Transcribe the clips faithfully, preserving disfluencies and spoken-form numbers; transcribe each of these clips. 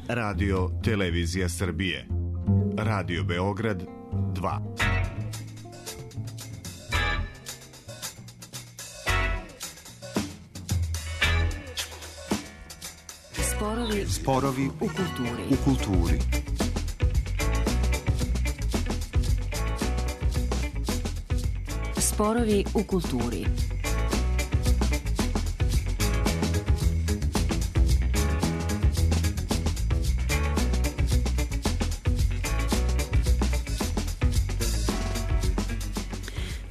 Radio Televizija Srbije. Radio Beograd dva. Sporovi, Sporovi u kulturi. U kulturi. Sporovi u kulturi.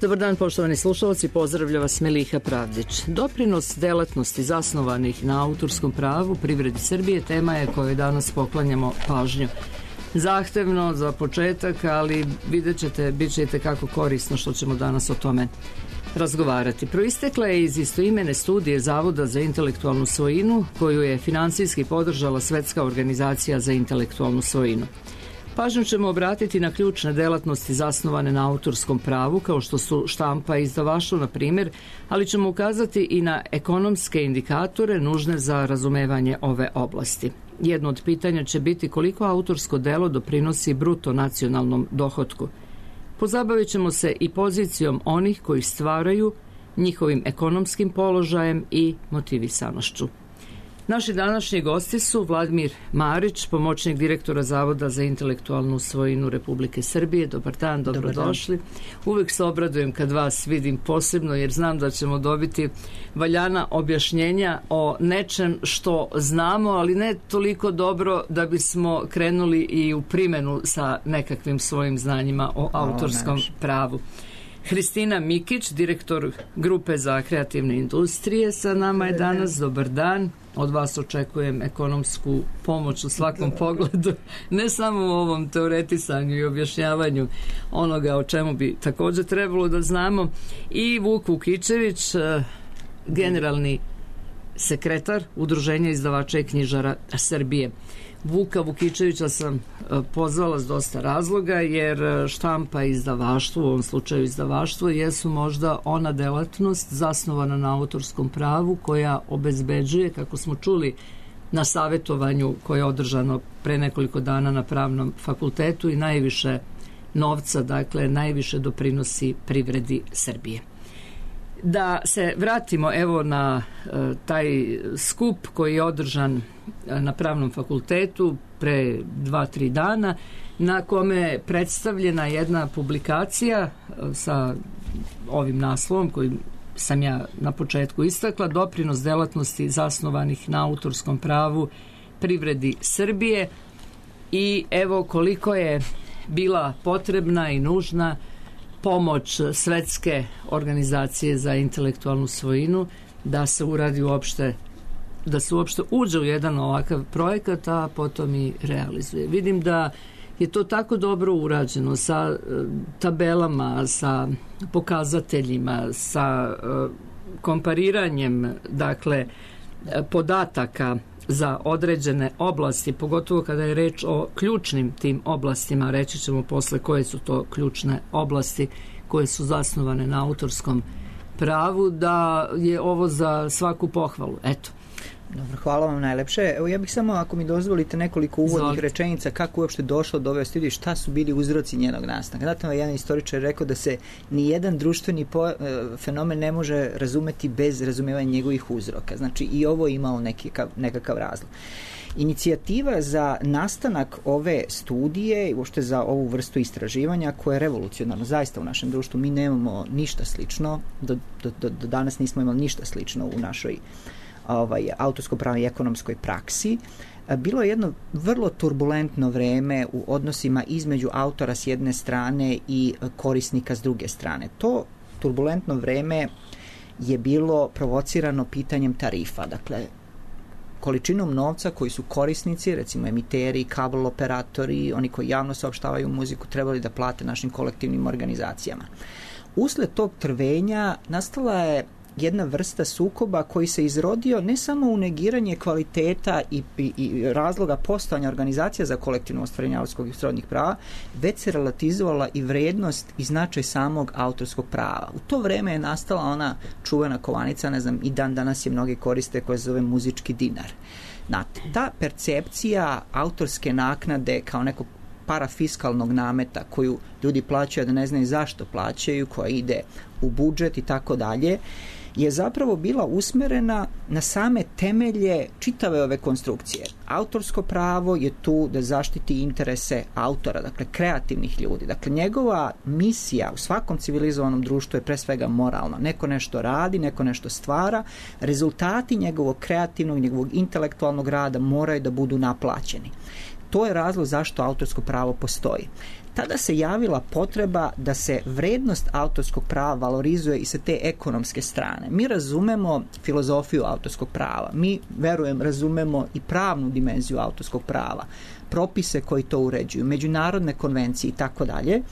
Dobar dan, poštovani slušalci, pozdravlja vas Meliha Pravdić. Doprinos delatnosti zasnovanih na autorskom pravu privredi Srbije tema je kojoj danas poklanjamo pažnju. Zahtevno za početak, ali vidjet ćete, bit ćete kako korisno što ćemo danas o tome razgovarati. Proistekla je iz istoimene studije Zavoda za intelektualnu svojinu, koju je finansijski podržala Svetska organizacija za intelektualnu svojinu. Pažnju ćemo obratiti na ključne delatnosti zasnovane na autorskom pravu, kao što su štampa i izdavaštvo, na primjer, ali ćemo ukazati i na ekonomske indikatore nužne za razumevanje ove oblasti. Jedno od pitanja će biti koliko autorsko delo doprinosi bruto nacionalnom dohotku. Pozabavit ćemo se i pozicijom onih koji stvaraju, njihovim ekonomskim položajem i motivisanošću. Naši današnji gosti su Vladimir Marić, pomoćnik direktora Zavoda za intelektualnu svojinu Republike Srbije. Dobar dan, dobrodošli. Dobar dan. Uvek se obradujem kad vas vidim posebno, jer znam da ćemo dobiti valjana objašnjenja o nečem što znamo, ali ne toliko dobro da bismo krenuli i u primjenu sa nekakvim svojim znanjima o autorskom pravu. Hristina Mikić, direktor Grupe za kreativne industrije, sa nama je danas. Dobar dan. Od vas očekujem ekonomsku pomoć u svakom pogledu, ne samo u ovom teoretisanju i objašnjavanju onoga o čemu bi također trebalo da znamo. I Vuk Vukičević, generalni sekretar Udruženja izdavača i knjižara Srbije. Vuka Vukičevića sam pozvala s dosta razloga, jer štampa i izdavaštvo, u ovom slučaju izdavaštvo, jesu možda ona delatnost zasnovana na autorskom pravu koja obezbeđuje, kako smo čuli na savjetovanju koje je održano pre nekoliko dana na Pravnom fakultetu, i najviše novca, dakle najviše doprinosi privredi Srbije. Da se vratimo evo na e, taj skup koji je održan na Pravnom fakultetu pre dva, tri dana, na kome je predstavljena jedna publikacija e, sa ovim naslovom koji sam ja na početku istakla, doprinos delatnosti zasnovanih na autorskom pravu privredi Srbije, i evo koliko je bila potrebna i nužna pomoć Svetske organizacije za intelektualnu svojinu da se uradi uopšte, da se uopšte uđe u jedan ovakav projekat, a potom i realizuje. Vidim da je to tako dobro urađeno sa tabelama, sa pokazateljima, sa kompariranjem, dakle, podataka za određene oblasti, pogotovo kada je reč o ključnim tim oblastima. Reći ćemo posle koje su to ključne oblasti koje su zasnovane na autorskom pravu, da je ovo za svaku pohvalu. Eto. Dobro, hvala vam najlepše. Evo, ja bih samo, ako mi dozvolite, nekoliko uvodnih Zvolite. rečenica kako uopšte došlo do ove studije, šta su bili uzroci njenog nastanka. Znate, jedan istoričar je rekao da se nijedan društveni po, e, fenomen ne može razumeti bez razumevanja njegovih uzroka. Znači, i ovo je imalo nekakav, nekakav razlog. Inicijativa za nastanak ove studije i uopšte za ovu vrstu istraživanja, koja je revolucionarna zaista u našem društvu. Mi nemamo ništa slično, do, do, do, do danas nismo imali ništa slično u našoj ovaj, autorsko-pravnoj i ekonomskoj praksi. Bilo je jedno vrlo turbulentno vreme u odnosima između autora s jedne strane i korisnika s druge strane. To turbulentno vreme je bilo provocirano pitanjem tarifa, dakle količinom novca koji su korisnici, recimo emiteri, kabel operatori, oni koji javno saopštavaju muziku, trebali da plate našim kolektivnim organizacijama. Usled tog trvenja nastala je jedna vrsta sukoba koji se izrodio ne samo u negiranje kvaliteta i, i, i razloga postojanja organizacija za kolektivno ostvarenje autorskog i srodnih prava, već se relativizovala i vrednost i značaj samog autorskog prava. U to vreme je nastala ona čuvena kovanica, ne znam, i dan danas je mnogi koriste, koja se zove muzički dinar. Znate, ta percepcija autorske naknade kao nekog parafiskalnog nameta koju ljudi plaćaju da ne znaju zašto plaćaju, koja ide u budžet i tako dalje, je zapravo bila usmerena na same temelje čitave ove konstrukcije. Autorsko pravo je tu da zaštiti interese autora, dakle kreativnih ljudi. Dakle, njegova misija u svakom civilizovanom društvu je pre svega moralna. Neko nešto radi, neko nešto stvara, rezultati njegovog kreativnog, njegovog intelektualnog rada moraju da budu naplaćeni. To je razlog zašto autorsko pravo postoji. Tada se javila potreba da se vrednost autorskog prava valorizuje i sa te ekonomske strane. Mi razumemo filozofiju autorskog prava. Mi, verujem, razumemo i pravnu dimenziju autorskog prava, propise koji to uređuju, međunarodne konvencije i tako dalje,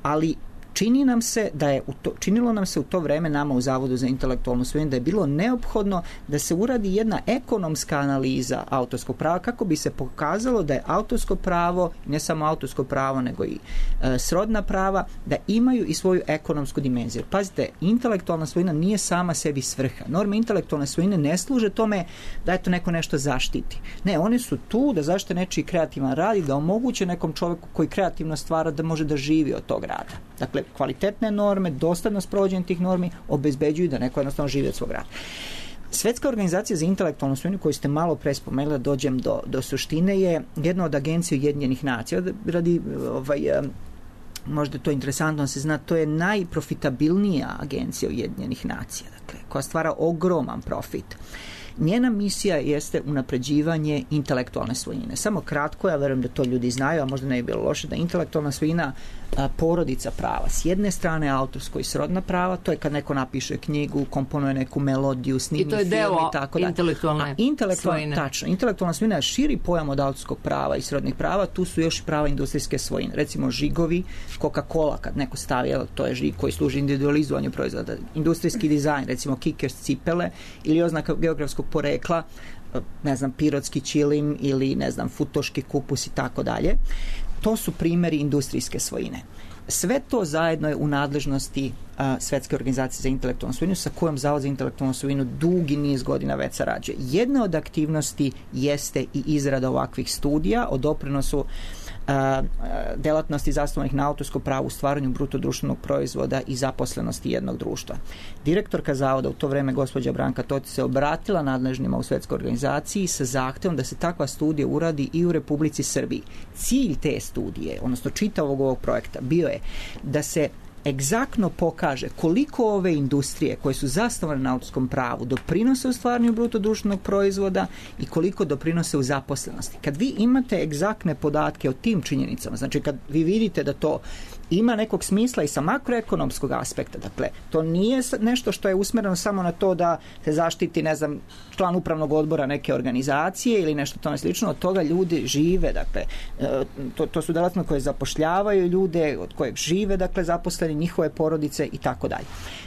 ali čini nam se da je u to, činilo nam se u to vreme nama u Zavodu za intelektualnu svojinu da je bilo neophodno da se uradi jedna ekonomska analiza autorskog prava kako bi se pokazalo da je autorsko pravo, ne samo autorsko pravo nego i e, srodna prava, da imaju i svoju ekonomsku dimenziju. Pazite, intelektualna svojina nije sama sebi svrha. Norme intelektualne svojine ne služe tome da eto neko nešto zaštiti. Ne, one su tu da zaštite nečiji kreativan rad i da omoguće nekom čoveku koji kreativno stvara da može da živi od tog rada. Dakle, kvalitetne norme, dostatno sprovođenje tih normi obezbeđuju da neko jednostavno živi od svog rada. Svetska organizacija za intelektualnu svojinu koju ste malo pre spomenuli, da dođem do, do suštine, je jedna od agencija Ujedinjenih nacija. Radi, ovaj, možda to je interesantno da se zna, to je najprofitabilnija agencija Ujedinjenih nacija, dakle, koja stvara ogroman profit. Njena misija jeste unapređivanje intelektualne svojine. Samo kratko, ja verujem da to ljudi znaju, a možda ne bi bilo loše, da intelektualna svojina a, porodica prava. S jedne strane autorsko i srodna prava, to je kad neko napiše knjigu, komponuje neku melodiju, snimi film i tako dalje. Intelektualne intelektualna svojine. Tačno. Intelektualna svojina je širi pojam od autorskog prava i srodnih prava, tu su još i prava industrijske svojine. Recimo žigovi, Coca-Cola, kad neko stavi, jel, to je žig koji služi individualizovanju proizvoda. Industrijski dizajn, recimo Kickers cipele ili oznaka geografskog porekla, ne znam, pirotski ćilim ili, ne znam, futoški kupus i tako dalje. To su primjeri industrijske svojine. Sve to zajedno je u nadležnosti a, Svetske organizacije za intelektualnu svojinu, sa kojom Zavod za intelektualnu svojinu dugi niz godina već sarađuje. Jedna od aktivnosti jeste i izrada ovakvih studija o doprinosu a, delatnosti zasnovanih na autorsko pravo u stvaranju bruto društvenog proizvoda i zaposlenosti jednog društva. Direktorka Zavoda u to vreme, gospođa Branka Totić, se obratila nadležnima u Svetskoj organizaciji sa zahtevom da se takva studija uradi i u Republici Srbiji. Cilj te studije, odnosno čitavog ovog projekta, bio je da se egzaktno pokaže koliko ove industrije koje su zasnovane na autorskom pravu doprinose u stvaranju bruto društvenog proizvoda i koliko doprinose u zaposlenosti. Kad vi imate egzaktne podatke o tim činjenicama, znači kad vi vidite da to ima nekog smisla i sa makroekonomskog aspekta, dakle, to nije nešto što je usmereno samo na to da se zaštiti, ne znam, član upravnog odbora neke organizacije ili nešto tome slično, od toga ljudi žive, dakle, to, to su delatnosti koje zapošljavaju ljude, od kojeg žive, dakle, zaposleni, njihove porodice i tako dalje.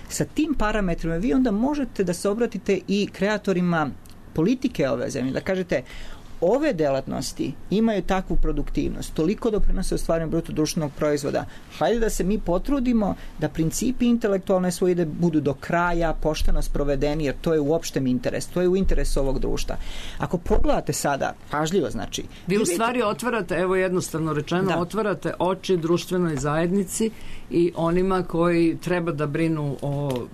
Sa tim parametrima vi onda možete da se obratite i kreatorima politike ove zemlje, da kažete, ove delatnosti imaju takvu produktivnost, toliko doprinose u stvaranju bruto društvenog proizvoda. Hajde da se mi potrudimo da principi intelektualne svojine budu do kraja pošteno sprovedeni, jer to je u opštem interesu, to je u interesu ovog društva. Ako pogledate sada, pažljivo, znači... Vi u stvari otvarate, evo jednostavno rečeno, da. otvarate oči društvenoj zajednici i onima koji treba da brinu o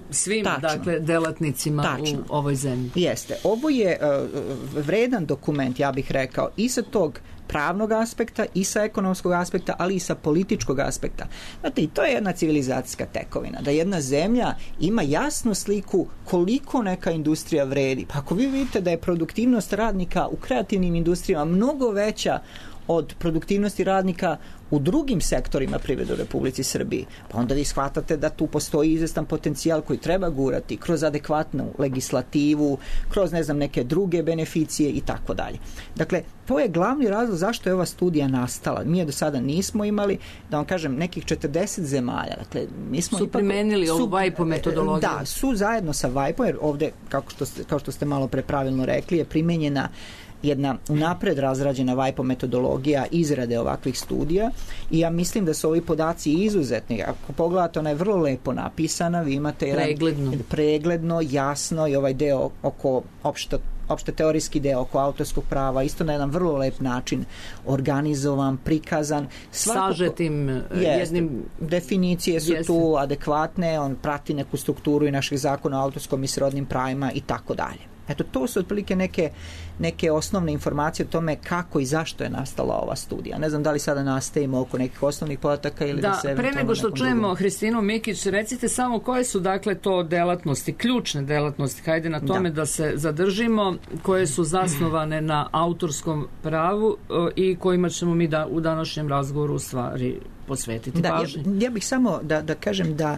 svim, Tačno. dakle, delatnicima Tačno. u ovoj zemlji. Jeste. Ovo je uh, vredan dokument, ja bih rekao, i sa tog pravnog aspekta i sa ekonomskog aspekta, ali i sa političkog aspekta. Znate, i to je jedna civilizacijska tekovina, da jedna zemlja ima jasnu sliku koliko neka industrija vredi. Pa ako vi vidite da je produktivnost radnika u kreativnim industrijama mnogo veća od produktivnosti radnika u drugim sektorima privrede u Republici Srbiji, pa onda vi shvatate da tu postoji izvestan potencijal koji treba gurati kroz adekvatnu legislativu, kroz, ne znam, neke druge beneficije i tako dalje. Dakle, to je glavni razlog zašto je ova studija nastala. Mi je do sada nismo imali, da vam kažem, nekih četrdeset zemalja. Dakle, mi smo su ipak, primenili ovu vajpo metodologiju. Da, su zajedno sa vajpom, jer ovde, kako što ste, kao što ste malo pre pravilno rekli, je primenjena jedna unapred razrađena vajpo metodologija izrade ovakvih studija i ja mislim da su ovi podaci izuzetni. Ako pogledate, ona je vrlo lepo napisana, vi imate jedan pregledno, pregledno jasno i ovaj deo oko opšte opšte teorijski deo oko autorskog prava, isto na jedan vrlo lep način organizovan, prikazan. Svakako, sažetim jest, jednim... Definicije su Jeste. tu adekvatne, on prati neku strukturu i naših zakona o autorskom i srodnim pravima i tako dalje. Eto, to su otprilike neke, neke osnovne informacije o tome kako i zašto je nastala ova studija. Ne znam da li sada nastavimo oko nekih osnovnih podataka ili da, da se... pre nego što čujemo drugom... Hristinu Mikić, recite samo koje su dakle to delatnosti, ključne delatnosti, hajde na tome da, da se zadržimo, koje su zasnovane na autorskom pravu i kojima ćemo mi da u današnjem razgovoru u stvari posvetiti da, pažnje. Ja, ja bih samo da, da kažem da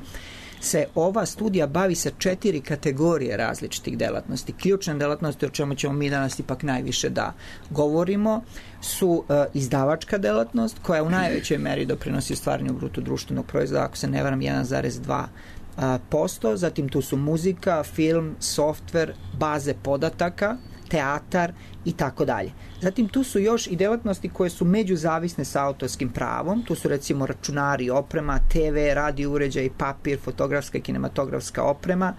se ova studija bavi sa četiri kategorije različitih delatnosti. Ključne delatnosti, o čemu ćemo mi danas ipak najviše da govorimo, su uh, izdavačka delatnost, koja u najvećoj meri doprinosi stvaranju bruto društvenog proizvoda, ako se ne varam, jedan zarez dva posto. Zatim tu su muzika, film, softver, baze podataka, teatar i tako dalje. Zatim tu su još i delatnosti koje su međuzavisne sa autorskim pravom. Tu su recimo računari, oprema, te ve, radio uređaj, papir, fotografska i kinematografska oprema.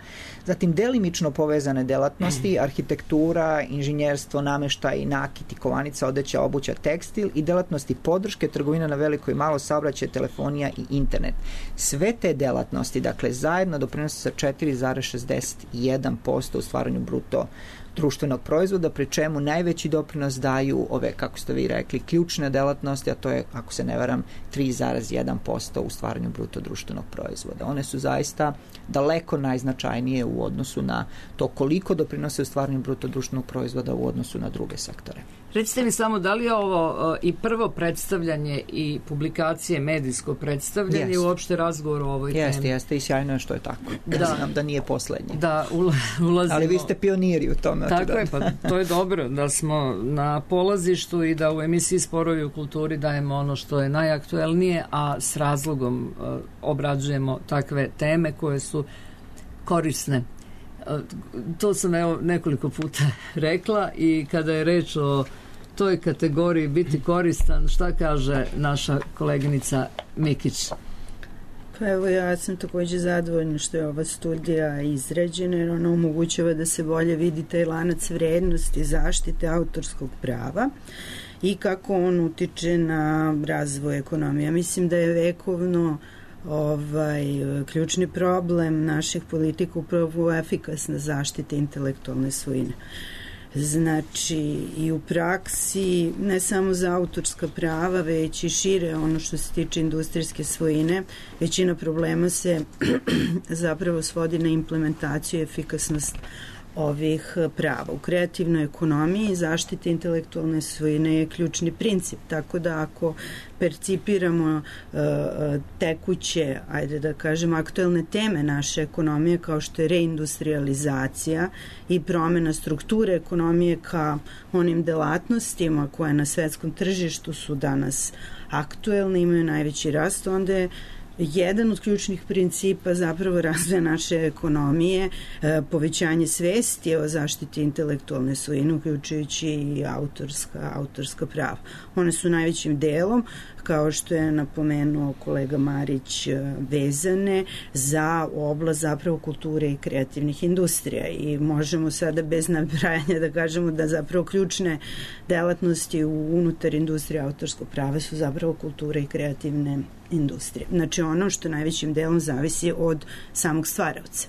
Zatim delimično povezane delatnosti, arhitektura, inženjerstvo, nameštaj, nakit i kovanica, odeća, obuća, tekstil i delatnosti podrške, trgovina na veliko i malo, saobraćaj, telefonija i internet. Sve te delatnosti, dakle, zajedno doprinose sa četiri zarez šezdeset jedan posto u stvaranju bruto društvenog proizvoda, pri čemu najveći doprinos daju ove, kako ste vi rekli, ključne delatnosti, a to je, ako se ne varam, tri zarez jedan posto u stvaranju bruto društvenog proizvoda. One su zaista daleko najznačajnije u odnosu na to koliko doprinose u stvaranju bruto društvenog proizvoda u odnosu na druge sektore. Recite mi samo, da li je ovo uh, i prvo predstavljanje i publikacije, medijsko predstavljanje i uopšte razgovor o ovoj jeste, temi? Jeste, jeste, i sjajno je što je tako. Da. Ja znam da nije poslednje. Da, ulazimo. Ali vi ste pioniri u tome. Tako je, pa to je dobro da smo na polazištu i da u emisiji Sporovi u kulturi dajemo ono što je najaktuelnije, a s razlogom uh, obrađujemo takve teme koje su korisne. To sam evo nekoliko puta rekla i kada je reč o toj kategoriji biti koristan, šta kaže naša koleginica Mikić? Pa evo, ja sam takođe zadovoljna što je ova studija izrađena, jer ona omogućava da se bolje vidi taj lanac vrednosti zaštite autorskog prava i kako on utiče na razvoj ekonomije. Mislim da je vekovno ovaj, ključni problem naših politika upravo efikasna zaštita intelektualne svojine. Znači, i u praksi, ne samo za autorska prava, već i šire ono što se tiče industrijske svojine, većina problema se zapravo svodi na implementaciju i efikasnost ovih prava. U kreativnoj ekonomiji zaštita intelektualne svojine je ključni princip, tako da ako percipiramo uh, tekuće, ajde da kažem, aktuelne teme naše ekonomije, kao što je reindustrializacija i promena strukture ekonomije ka onim delatnostima koje na svetskom tržištu su danas aktuelne, imaju najveći rast, onda je jedan od ključnih principa zapravo razvoja naše ekonomije, povećanje svesti o zaštiti intelektualne svojine, uključujući i autorska, autorska prava. One su najvećim delom, kao što je napomenuo kolega Marić, vezane za oblast zapravo kulture i kreativnih industrija i možemo sada bez nabrajanja da kažemo da zapravo ključne delatnosti unutar industrije autorskog prava su zapravo kultura i kreativne industrije. Znači ono što najvećim delom zavisi od samog stvaraoca.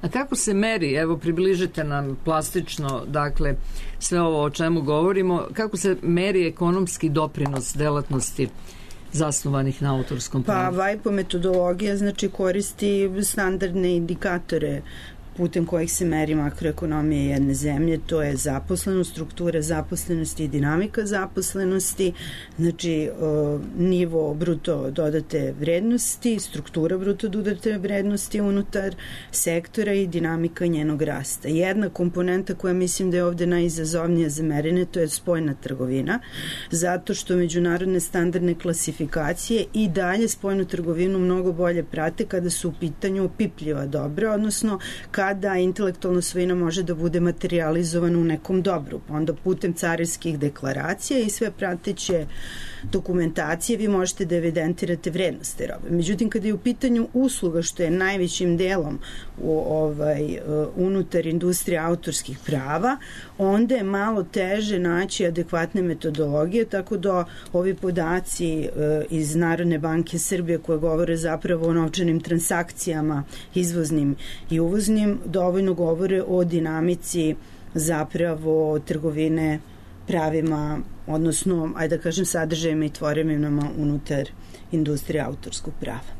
A kako se meri, evo približite nam plastično, dakle, sve ovo o čemu govorimo, kako se meri ekonomski doprinos delatnosti zasnovanih na autorskom pravu? Pa vajpo metodologija znači koristi standardne indikatore putem kojih se meri makroekonomija jedne zemlje, to je zaposlenost, struktura zaposlenosti i dinamika zaposlenosti, znači o, nivo bruto dodate vrednosti, struktura bruto dodate vrednosti unutar sektora i dinamika njenog rasta. Jedna komponenta koja mislim da je ovde najizazovnija za merenje, to je spoljna trgovina, zato što međunarodne standardne klasifikacije i dalje spoljnu trgovinu mnogo bolje prate kada su u pitanju opipljiva dobra, odnosno kada kada intelektualna svojina može da bude materializovana u nekom dobru, pa onda putem carinskih deklaracija i sve prateće dokumentacije vi možete da evidentirate vrednost te robe. Međutim, kada je u pitanju usluga, što je najvećim delom u, ovaj, unutar industrije autorskih prava, onda je malo teže naći adekvatne metodologije, tako da ovi podaci iz Narodne banke Srbije koje govore zapravo o novčanim transakcijama izvoznim i uvoznim dovoljno govore o dinamici zapravo trgovine pravima, odnosno, ajde da kažem, sadržajima i tvorevinama unutar industrije autorskog prava.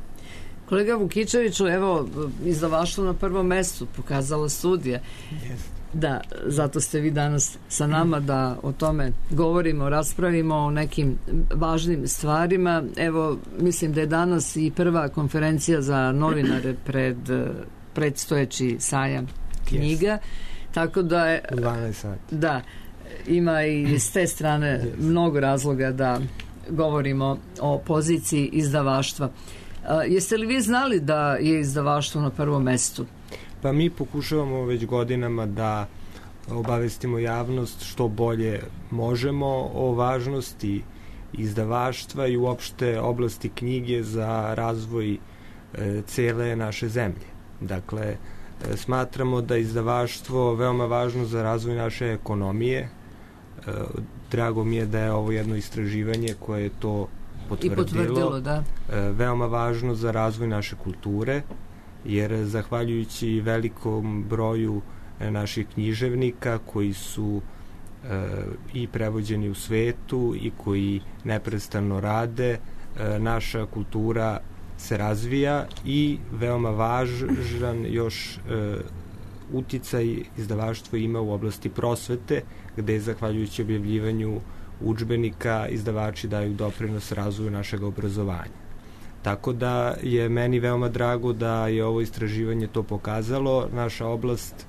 Kolega Vukičeviću, evo, izdavaštvo na prvom mestu pokazala studija. Yes. Da, zato ste vi danas sa nama da o tome govorimo, raspravimo o nekim važnim stvarima. Evo, mislim da je danas i prva konferencija za novinare pred predstojeći sajam knjiga, yes. Tako da je... U dvanaest sati. Da, ima i s te strane yes. mnogo razloga da govorimo o poziciji izdavaštva. A, jeste li vi znali da je izdavaštvo na prvom mestu? Pa mi pokušavamo već godinama da obavestimo javnost što bolje možemo o važnosti izdavaštva i uopšte oblasti knjige za razvoj e, cele naše zemlje. Dakle, e, smatramo da izdavaštvo veoma važno za razvoj naše ekonomije. E, drago mi je da je ovo jedno istraživanje koje je to potvrdilo. I potvrdilo, da. E, veoma važno za razvoj naše kulture, jer zahvaljujući velikom broju naših književnika koji su e, i prevođeni u svetu i koji neprestano rade, e, naša kultura se razvija i veoma važan još e, uticaj izdavaštvo ima u oblasti prosvete, gde zahvaljujući objavljivanju udžbenika izdavači daju doprinos razvoju našeg obrazovanja. Tako da je meni veoma drago da je ovo istraživanje to pokazalo. Naša oblast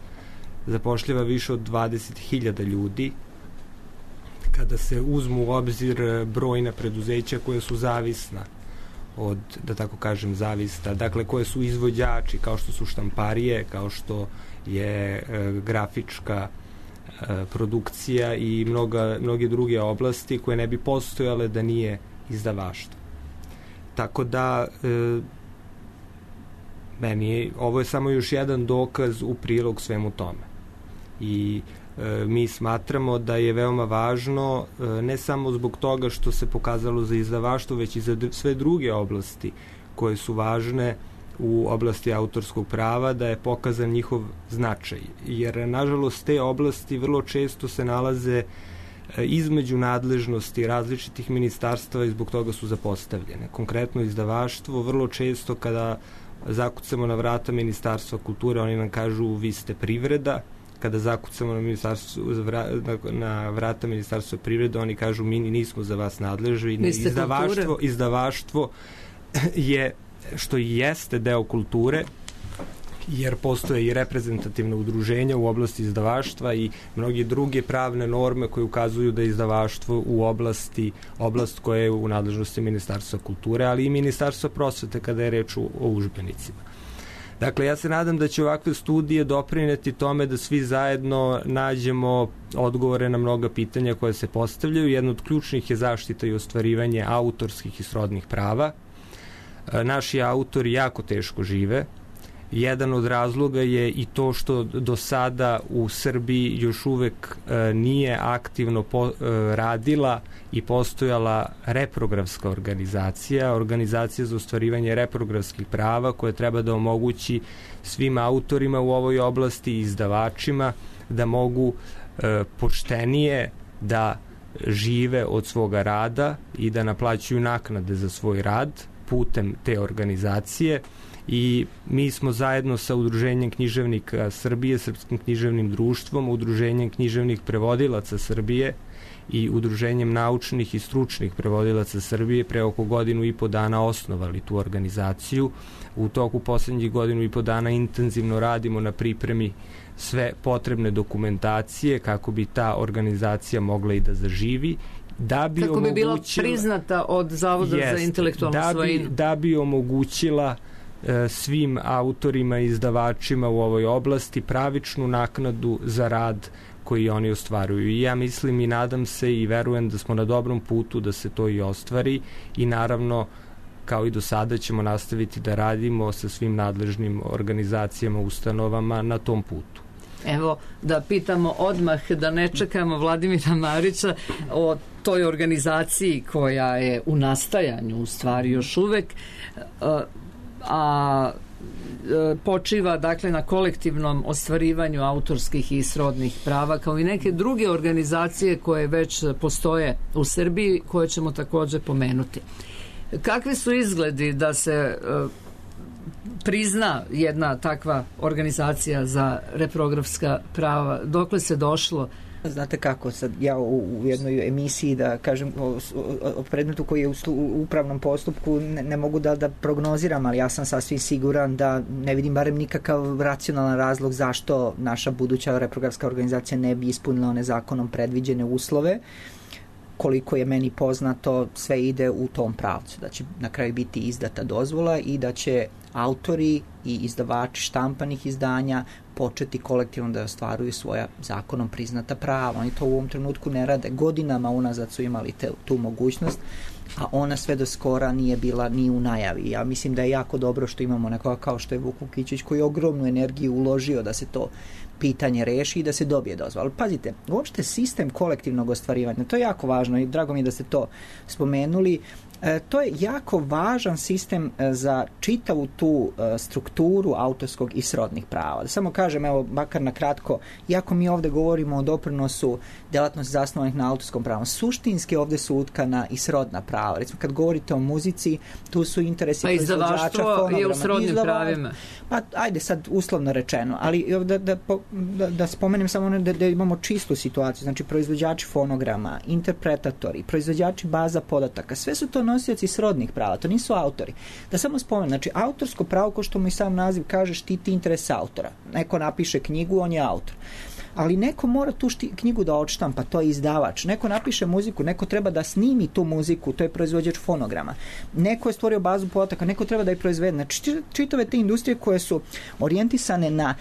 zapošljava više od dvadeset hiljada ljudi. Kada se uzmu u obzir brojna preduzeća koje su zavisna od, da tako kažem, zavista, dakle koje su izvođači, kao što su štamparije, kao što je e, grafička e, produkcija i mnoga, mnoge druge oblasti koje ne bi postojale da nije izdavaštvo. Tako da e, meni je, ovo je samo još jedan dokaz u prilog svemu tome. I e, mi smatramo da je veoma važno e, ne samo zbog toga što se pokazalo za izdavaštvo, već i za sve druge oblasti koje su važne u oblasti autorskog prava, da je pokazan njihov značaj. Jer, nažalost, te oblasti vrlo često se nalaze između nadležnosti različitih ministarstva i zbog toga su zapostavljene. Konkretno izdavaštvo, vrlo često kada zakucamo na vrata Ministarstva kulture, oni nam kažu vi ste privreda. Kada zakucamo na, na, na vrata Ministarstva privrede, oni kažu mi nismo za vas nadležni. Izdavaštvo, izdavaštvo je, što i jeste deo kulture, jer postoje i reprezentativne udruženja u oblasti izdavaštva i mnogi druge pravne norme koje ukazuju da je izdavaštvo u oblasti, oblast koja je u nadležnosti Ministarstva kulture, ali i Ministarstva prosvete kada je reč o udžbenicima. Dakle, ja se nadam da će ovakve studije doprineti tome da svi zajedno nađemo odgovore na mnoga pitanja koje se postavljaju. Jedno od ključnih je zaštita i ostvarivanje autorskih i srodnih prava. Naši autori jako teško žive. Jedan od razloga je i to što do sada u Srbiji još uvek e, nije aktivno po, e, radila i postojala reprografska organizacija, organizacija za ostvarivanje reprografskih prava koja treba da omogući svim autorima u ovoj oblasti i izdavačima da mogu e, poštenije da žive od svoga rada i da naplaćuju naknade za svoj rad putem te organizacije. I mi smo zajedno sa Udruženjem književnika Srbije, Srpskim književnim društvom, Udruženjem književnih prevodilaca Srbije i Udruženjem naučnih i stručnih prevodilaca Srbije pre oko godinu i po dana osnovali tu organizaciju. U toku poslednjih godinu i po dana intenzivno radimo na pripremi sve potrebne dokumentacije kako bi ta organizacija mogla i da zaživi. Da bi kako bi bila priznata od Zavoda jest, za intelektualnu da svojinu. Bi, da bi omogućila svim autorima i izdavačima u ovoj oblasti pravičnu naknadu za rad koji oni ostvaruju. I ja mislim i nadam se i verujem da smo na dobrom putu da se to i ostvari i naravno kao i do sada ćemo nastaviti da radimo sa svim nadležnim organizacijama, ustanovama na tom putu. Evo, da pitamo odmah, da ne čekamo Vladimira Marića o toj organizaciji koja je u nastajanju, u stvari još uvek, a počiva dakle na kolektivnom ostvarivanju autorskih i srodnih prava, kao i neke druge organizacije koje već postoje u Srbiji, koje ćemo također pomenuti. Kakvi su izgledi da se prizna jedna takva organizacija za reprografska prava? Dokle se došlo? Znate kako, sad ja u, u jednoj emisiji da kažem o, o predmetu koji je u, u upravnom postupku ne, ne mogu da, da prognoziram, ali ja sam sasvim siguran da ne vidim barem nikakav racionalan razlog zašto naša buduća reprografska organizacija ne bi ispunila one zakonom predviđene uslove. Koliko je meni poznato, sve ide u tom pravcu, da će na kraju biti izdata dozvola i da će autori i izdavači štampanih izdanja početi kolektivno da ostvaruju svoja zakonom priznata prava. Oni to u ovom trenutku ne rade. Godinama unazad su imali te, tu mogućnost, a ona sve do skora nije bila ni u najavi. Ja mislim da je jako dobro što imamo nekoga kao što je Vuk Vukićić, koji je ogromnu energiju uložio da se to pitanje reši i da se dobije dozvola. Ali pazite, uopšte sistem kolektivnog ostvarivanja, to je jako važno i drago mi je da ste to spomenuli. E, to je jako važan sistem e, za čitavu tu e, strukturu autorskog i srodnih prava. Da samo kažem, evo, makar na kratko, iako mi ovde govorimo o doprinosu delatnosti zasnovanih na autorskom pravu, suštinski ovde su utkana i srodna prava. Recimo, kad govorite o muzici, tu su interesi pa proizvođača fonograma. Je u srodnim izdava, pravima. Pa, ajde sad uslovno rečeno, ali da, da, da, da spomenem samo da, da imamo čistu situaciju, znači proizvođači fonograma, interpretatori, proizvođači baza podataka, sve su to nosioci srodnih prava, to nisu autori. Da samo spomenem, znači autorsko pravo, ko što mu i sam naziv kaže, štiti interes autora. Neko napiše knjigu, on je autor. Ali neko mora tu šti, knjigu da odštampa, to je izdavač. Neko napiše muziku, neko treba da snimi tu muziku, to je proizvođač fonograma. Neko je stvorio bazu podataka, neko treba da je proizvede. Znači, čitave te industrije koje su orijentisane na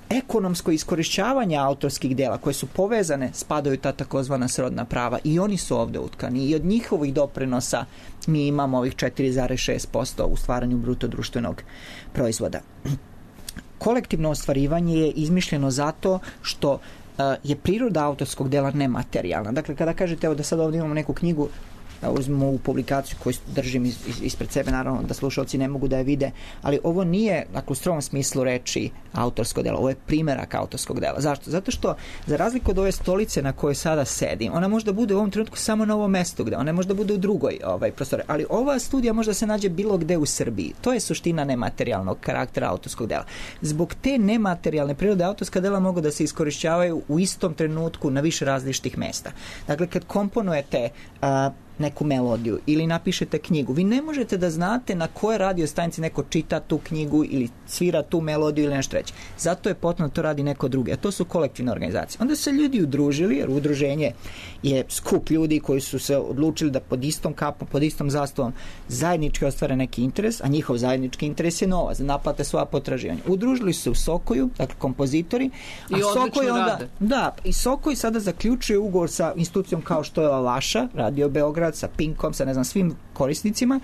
ekonomsko iskorišćavanje autorskih dela, koje su povezane, spadaju ta takozvana srodna prava i oni su ovde utkani i od njihovih doprinosa mi imamo ovih četiri zarez šest posto u stvaranju bruto društvenog proizvoda. Kolektivno ostvarivanje je izmišljeno zato što uh, je priroda autorskog dela nematerijalna. Dakle, kada kažete evo da sad ovdje imamo neku knjigu, da uzmemo u publikaciju koju držim iz, iz, ispred sebe, naravno da slušalci ne mogu da je vide, ali ovo nije, dakle, u strogom smislu reči autorsko delo, ovo je primerak autorskog dela. Zašto? Zato što, za razliku od ove stolice na kojoj sada sedim, ona može da bude u ovom trenutku samo na ovom mestu, gde ona može da bude u drugoj ovaj, prostore, ali ova studija može da se nađe bilo gde u Srbiji. To je suština nematerijalnog karaktera autorskog dela. Zbog te nematerijalne prirode autorska dela mogu da se iskorišćavaju u istom trenutku na više različitih mesta. Dakle, kad komponujete a, neku melodiju ili napišete knjigu, vi ne možete da znate na koje radio stanici neko čita tu knjigu ili svira tu melodiju ili nešto treće. Zato je potrebno da to radi neko drugi, a to su kolektivne organizacije. Onda se ljudi udružili, jer udruženje je skup ljudi koji su se odlučili da pod istom kapom, pod istom zastavom zajednički ostvare neki interes, a njihov zajednički interes je novac, da naplate svoja potraživanja. Udružili se u Sokoju, dakle kompozitori, a Sokoj onda, da, i Sokoj sada zaključuje ugovor sa institucijom kao što je ova vaša, Radio Beograd, sa Pinkom, sa ne znam svim korisnicima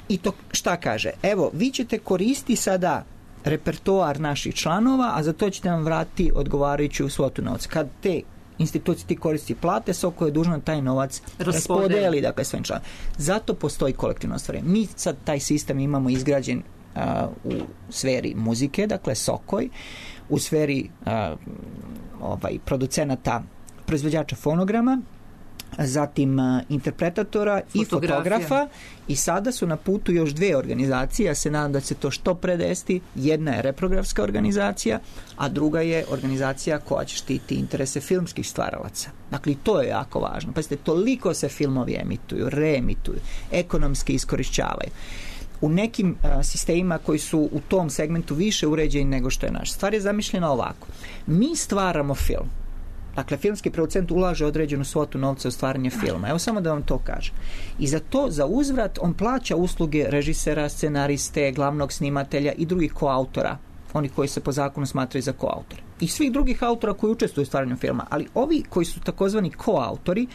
i to šta kaže? Evo, vi ćete koristiti sada repertoar naših članova, a za to ćete nam vratiti odgovarajuću svotu novca. Kad te institucije ti koristi plate, Soko je dužno taj novac raspodeli, dakle, svojim članom. Zato postoji kolektivno ostvarenje. Mi sad taj sistem imamo izgrađen uh, u sferi muzike, dakle Sokoj, u sferi uh, ovaj, producenata, proizvođača fonograma, zatim uh, interpretatora i fotografa i sada su na putu još dve organizacije, ja se nadam da će to što pre desiti. Jedna je reprografska organizacija, a druga je organizacija koja će štiti interese filmskih stvaralaca. Dakle, to je jako važno. Pazite, toliko se filmovi emituju, reemituju, ekonomski iskorišćavaju. U nekim uh, sistemima koji su u tom segmentu više uređeni nego što je naš. Stvar je zamišljena ovako. Mi stvaramo film. Dakle, filmski producent ulaže određenu svotu novca u stvaranje filma. Evo samo da vam to kažem. I za to, za uzvrat, on plaća usluge režisera, scenariste, glavnog snimatelja i drugih koautora, oni koji se po zakonu smatraju za koautore. I svih drugih autora koji učestvuju u stvaranju filma. Ali ovi koji su takozvani koautori,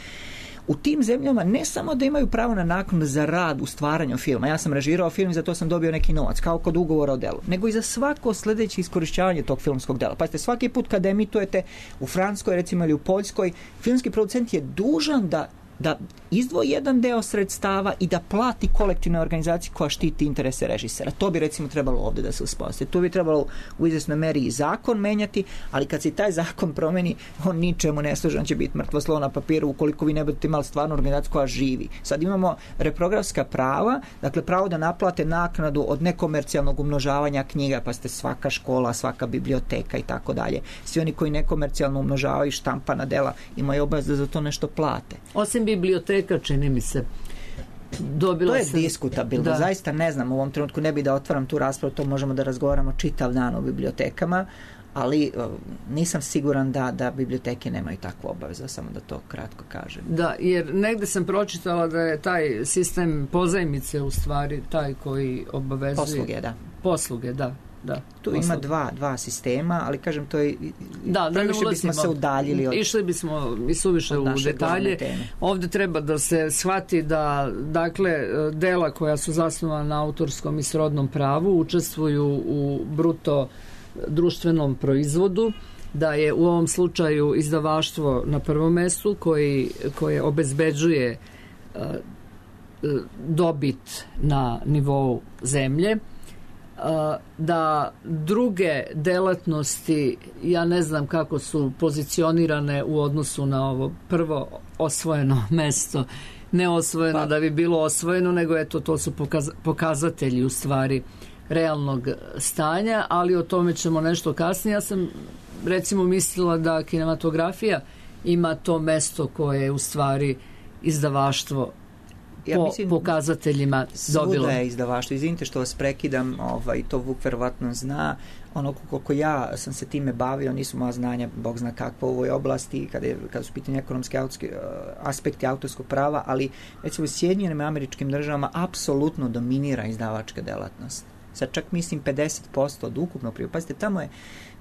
u tim zemljama ne samo da imaju pravo na naknadu za rad u stvaranju filma, ja sam režirao film i za to sam dobio neki novac, kao kod ugovora o delu, nego i za svako sledeće iskorišćavanje tog filmskog dela. Pazite, svaki put kad emitujete u Francuskoj, recimo, ili u Poljskoj, filmski producent je dužan da da izdvoji jedan deo sredstava i da plati kolektivnoj organizaciji koja štiti interese režisera. To bi recimo trebalo ovde da se uspostavi. Tu bi trebalo u izvesnoj meri i zakon menjati, ali kad se taj zakon promeni, on ničemu ne služi, on će biti mrtvo slovo na papiru ukoliko vi ne budete imali stvarnu organizaciju koja živi. Sad imamo reprografska prava, dakle pravo da naplate naknadu od nekomercijalnog umnožavanja knjiga, pa ste svaka škola, svaka biblioteka i tako dalje. Svi oni koji nekomercijalno umnožavaju štampana dela imaju obavez da za to nešto plate. Osim biblioteka, čini mi se, dobila to je sam... diskutabilno, da. Zaista ne znam, u ovom trenutku ne bi da otvaram tu raspravu, to možemo da razgovaramo čitav dan o bibliotekama, ali uh, nisam siguran da, da biblioteke nemaju takvu obavezu, samo da to kratko kažem. Da, jer negde sam pročitala da je taj sistem pozajmice u stvari taj koji obavezuje... Posluge, da. Posluge, da. Da, tu posluge. Ima dva, dva sistema, ali kažem to je da, da previše bismo se udaljili od, išli bismo i suviše u detalje. Ovde treba da se shvati da dakle dela koja su zasnovana na autorskom i srodnom pravu učestvuju u bruto društvenom proizvodu, da je u ovom slučaju izdavaštvo na prvom mestu koji, koje obezbeđuje uh, dobit na nivou zemlje, da druge delatnosti, ja ne znam kako su pozicionirane u odnosu na ovo prvo osvojeno mesto, ne osvojeno pa. Da bi bilo osvojeno, nego eto to su pokaz, pokazatelji u stvari realnog stanja, ali o tome ćemo nešto kasnije. Ja sam recimo mislila da kinematografija ima to mesto koje je u stvari izdavaštvo ja po mislim, pokazateljima dobilo. Svuda je izdavaštvo. Izvinite što vas prekidam, ovaj, to Vuk verovatno zna. Ono koliko ja sam se time bavio, nisu moja znanja, Bog zna kakva u ovoj oblasti, kada, je, kada su pitanje ekonomske autorske, aspekti autorskog prava, ali recimo u Sjedinjenim Američkim Državama apsolutno dominira izdavačka delatnost. Sad čak mislim pedeset posto od ukupnog prihoda. Pazite, tamo je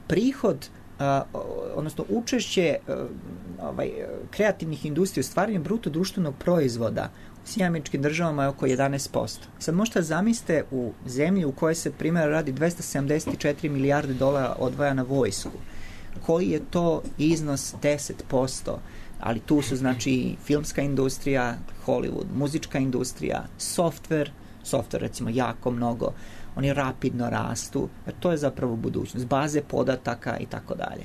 prihod Uh, odnosno učešće uh, ovaj, kreativnih industrija u stvaranju bruto društvenog proizvoda u Sjedinjenim Američkim Državama je oko jedanaest posto. Sad možete zamislite u zemlji u kojoj se primjer radi dvesta sedamdeset četiri milijarde dolara odvaja na vojsku. Koji je to iznos deset posto? Ali tu su znači filmska industrija, Hollywood, muzička industrija, software, software recimo jako mnogo, oni rapidno rastu, jer to je zapravo budućnost, baze podataka i tako dalje.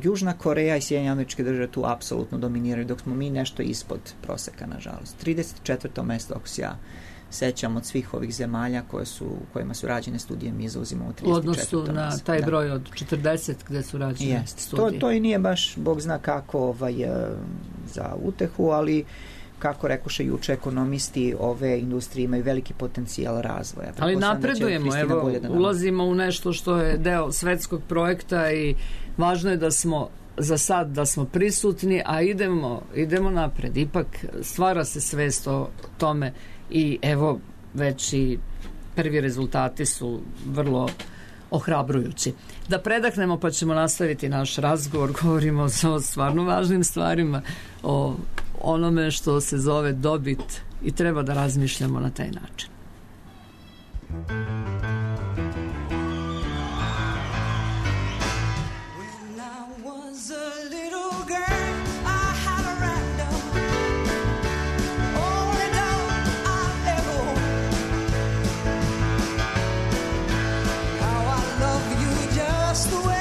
Južna Koreja i Sjedinjene Američke Države tu apsolutno dominiraju, dok smo mi nešto ispod proseka, nažalost. trideset četvrto mesto, ako se ja sećam od svih ovih zemalja koje su, kojima su rađene studije, mi zauzimamo trideset četvrto mesto. U odnosu na taj broj od četrdeset gde su rađene yes. studije. To, to i nije baš, Bog zna kako ovaj, za utehu, ali kako rekoše juče ekonomisti, ove industrije imaju veliki potencijal razvoja. Ali napredujemo, evo, ulazimo u nešto što je deo svetskog projekta i važno je da smo za sad da smo prisutni, a idemo, idemo napred. Ipak stvara se svest o tome i evo već i prvi rezultati su vrlo ohrabrujući. Da predahnemo pa ćemo nastaviti naš razgovor, govorimo o stvarno važnim stvarima, o onome što se zove dobit i treba da razmišljamo na taj način. Everywhere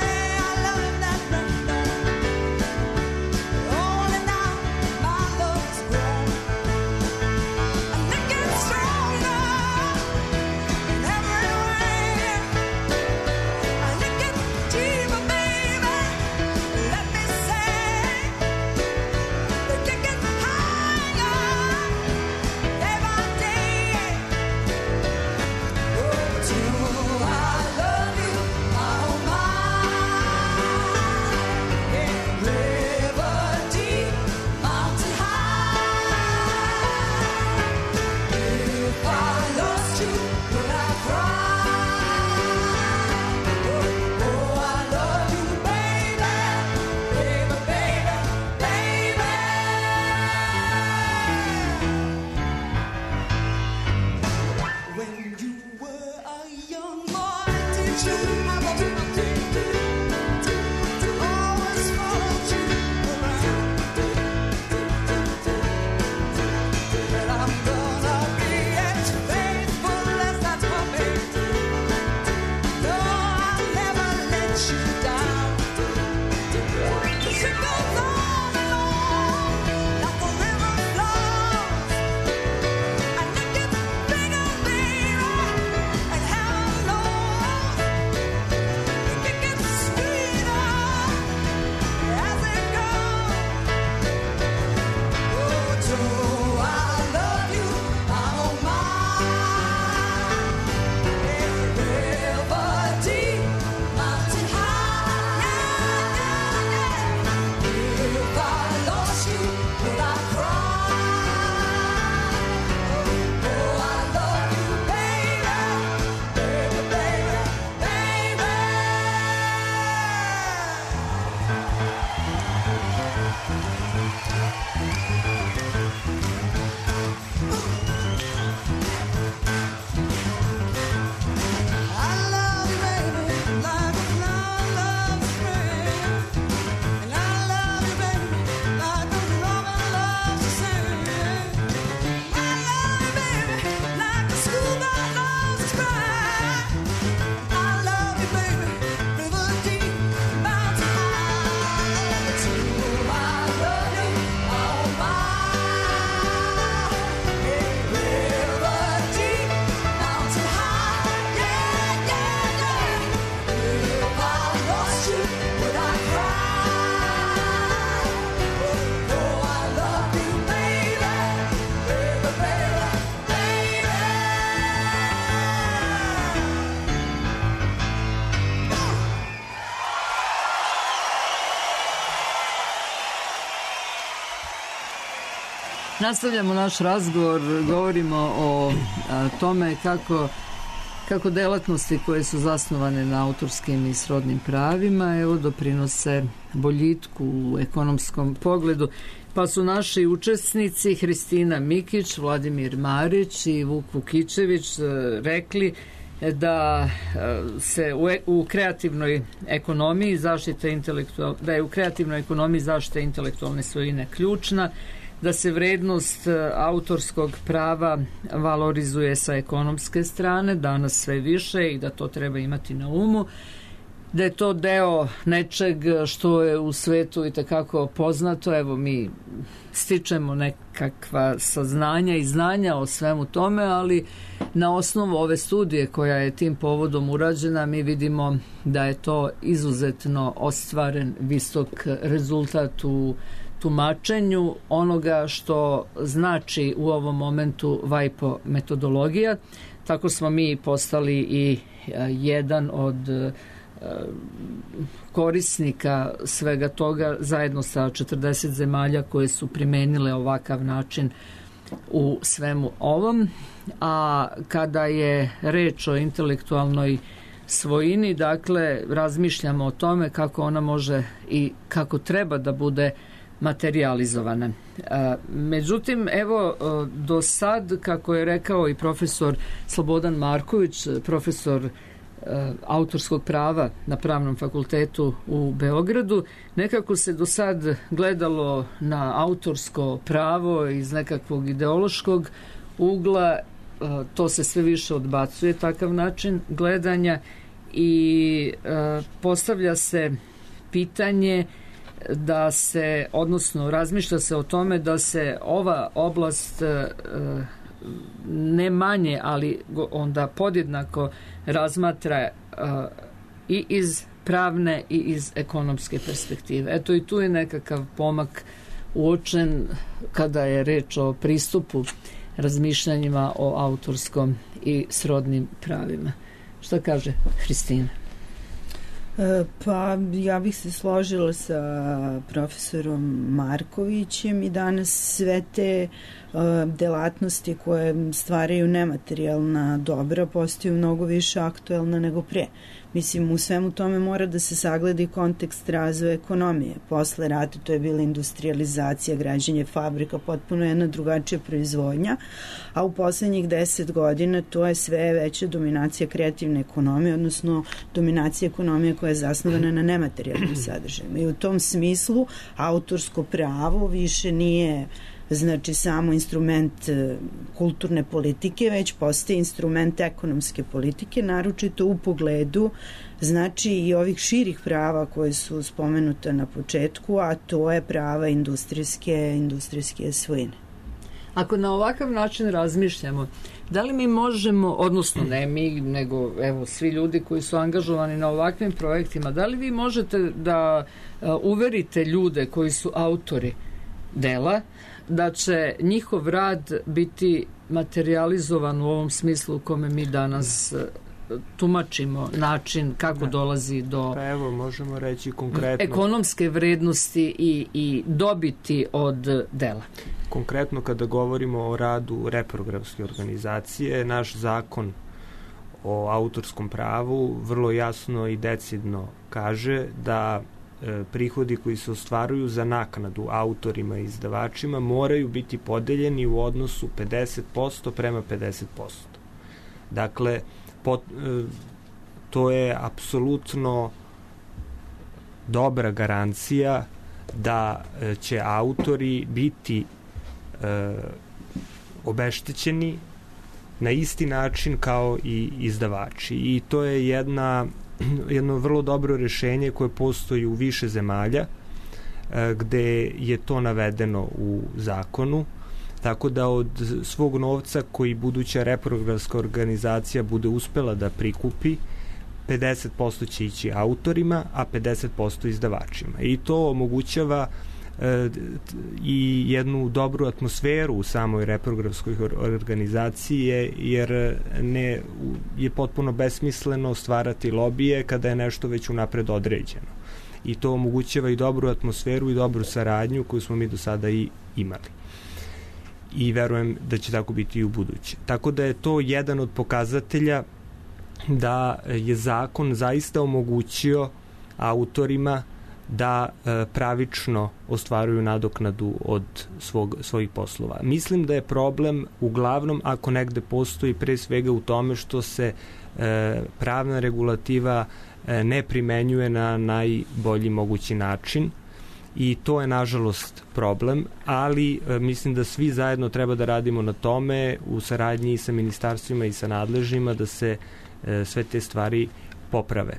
Nastavljamo naš razgovor, govorimo o a, tome kako, kako delatnosti koje su zasnovane na autorskim i srodnim pravima evo doprinose boljitku u ekonomskom pogledu. Pa su naši učesnici Hristina Mikić, Vladimir Marić i Vuk Vukićević rekli da se u, u kreativnoj ekonomiji zaštite intelektual, da je u kreativnoj ekonomiji zaštita intelektualne svojine ključna, da se vrednost autorskog prava valorizuje sa ekonomske strane, danas sve više i da to treba imati na umu, da je to deo nečeg što je u svetu i takako poznato. Evo, mi stičemo nekakva saznanja i znanja o svemu tome, ali na osnovu ove studije koja je tim povodom urađena mi vidimo da je to izuzetno ostvaren visok rezultat u tumačenju onoga što znači u ovom momentu WIPO metodologija. Tako smo mi postali i jedan od korisnika svega toga zajedno sa četrdeset zemalja koje su primenile ovakav način u svemu ovom. A kada je reč o intelektualnoj svojini, dakle, razmišljamo o tome kako ona može i kako treba da bude materijalizovana. Međutim, evo, do sad, kako je rekao i profesor Slobodan Marković, profesor autorskog prava na Pravnom fakultetu u Beogradu, nekako se do sad gledalo na autorsko pravo iz nekakvog ideološkog ugla, to se sve više odbacuje, takav način gledanja, i postavlja se pitanje da se, odnosno razmišlja se o tome da se ova oblast ne manje, ali onda podjednako razmatra i iz pravne i iz ekonomske perspektive. Eto, i tu je nekakav pomak uočen kada je reč o pristupu razmišljanjima o autorskom i srodnim pravima. Šta kaže Hristina? Pa ja bih se složila sa profesorom Markovićem i danas sve te delatnosti koje stvaraju nematerijalna dobra postaju mnogo više aktuelna nego pre. Mislim, u svemu tome mora da se sagledi kontekst razvoja ekonomije. Posle rata to je bila industrializacija, građenje fabrika, potpuno jedna drugačija proizvodnja, a u poslednjih deset godina to je sve veća dominacija kreativne ekonomije, odnosno dominacija ekonomije koja je zasnovana na nematerijalnim sadržajima. I u tom smislu autorsko pravo više nije znači samo instrument kulturne politike, već postaje instrument ekonomske politike, naročito u pogledu znači i ovih širih prava koje su spomenuta na početku, a to je prava industrijske, industrijske svojine. Ako na ovakav način razmišljamo, da li mi možemo, odnosno ne mi, nego evo svi ljudi koji su angažovani na ovakvim projektima, da li vi možete da uverite ljude koji su autori dela, da će njihov rad biti materializovan u ovom smislu u kome mi danas tumačimo način kako da. dolazi do pa evo, možemo reći konkretno ekonomske vrednosti i, i dobiti od dela. Konkretno kada govorimo o radu reprogramske organizacije, naš zakon o autorskom pravu vrlo jasno i decidno kaže da prihodi koji se ostvaruju za naknadu autorima i izdavačima moraju biti podeljeni u odnosu pedeset posto prema pedeset posto. Dakle, pot, to je apsolutno dobra garancija da će autori biti e, obeštećeni na isti način kao i izdavači. I to je jedna jedno vrlo dobro rešenje koje postoji u više zemalja gde je to navedeno u zakonu, tako da od svog novca koji buduća reprogramska organizacija bude uspela da prikupi, pedeset posto će ići autorima, a pedeset posto izdavačima. I to omogućava i jednu dobru atmosferu u samoj reprogramskoj organizaciji, jer ne je potpuno besmisleno stvarati lobije kada je nešto već unapred određeno. I to omogućava i dobru atmosferu i dobru saradnju koju smo mi do sada i imali. I verujem da će tako biti i u buduće. Tako da je to jedan od pokazatelja da je zakon zaista omogućio autorima da e, pravično ostvaruju nadoknadu od svog, svojih poslova. Mislim da je problem uglavnom ako negde postoji pre svega u tome što se e, pravna regulativa e, ne primenjuje na najbolji mogući način i to je nažalost problem, ali e, mislim da svi zajedno treba da radimo na tome u saradnji i sa ministarstvima i sa nadležnjima da se e, sve te stvari poprave.